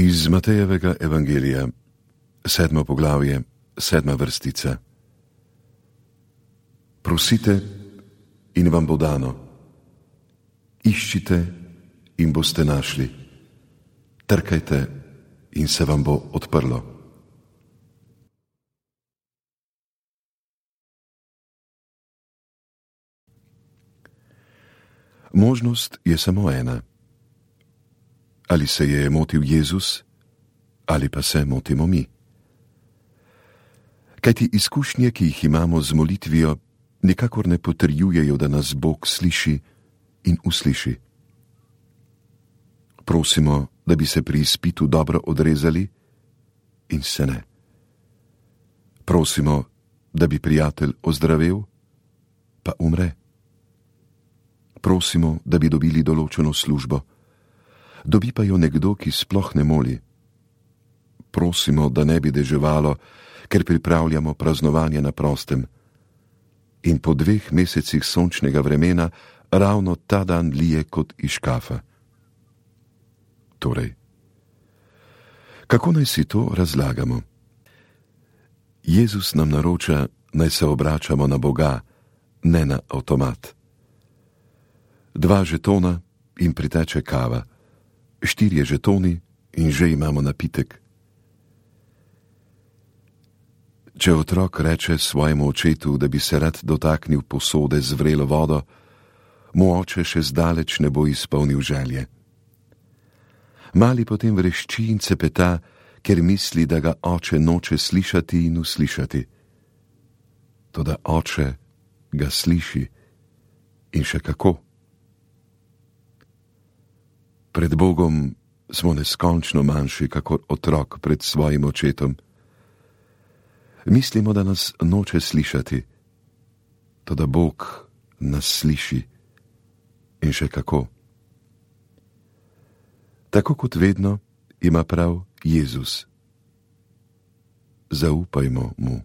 Iz Matejevega evangelija, 7. poglavje, 7. vrstica. Prosite in vam bo dano, iščite in boste našli, trkajte in se vam bo odprlo. Možnost je samo ena. Ali se je motil Jezus, ali pa se motimo mi. Kajti izkušnje, ki jih imamo z molitvijo, nikakor ne potrjujejo, da nas Bog sliši in usliši. Prosimo, da bi se pri izpitu dobro odrezali, in se ne. Prosimo, da bi prijatelj ozdravel, pa umre. Prosimo, da bi dobili določeno službo, dobi pa jo nekdo, ki sploh ne moli. Prosimo, da ne bi deževalo, ker pripravljamo praznovanje na prostem. In po 2 mesecih sončnega vremena ravno ta dan lije kot iz škafa. Torej, kako naj si to razlagamo? Jezus nam naroča, naj se obračamo na Boga, ne na avtomat. 2 žetona in priteče kava, 4 žetoni in že imamo napitek. Če otrok reče svojemu očetu, da bi se rad dotaknil posode z vrelo vodo, mu oče še zdaleč ne bo izpolnil želje. Mali potem vrešči in cepeta, ker misli, da ga oče noče slišati in uslišati. Toda oče ga sliši in še kako. Pred Bogom smo neskončno manjši, kakor otrok pred svojim očetom. Mislimo, da nas noče slišati, toda Bog nas sliši in še kako. Tako kot vedno ima prav Jezus. Zaupajmo mu.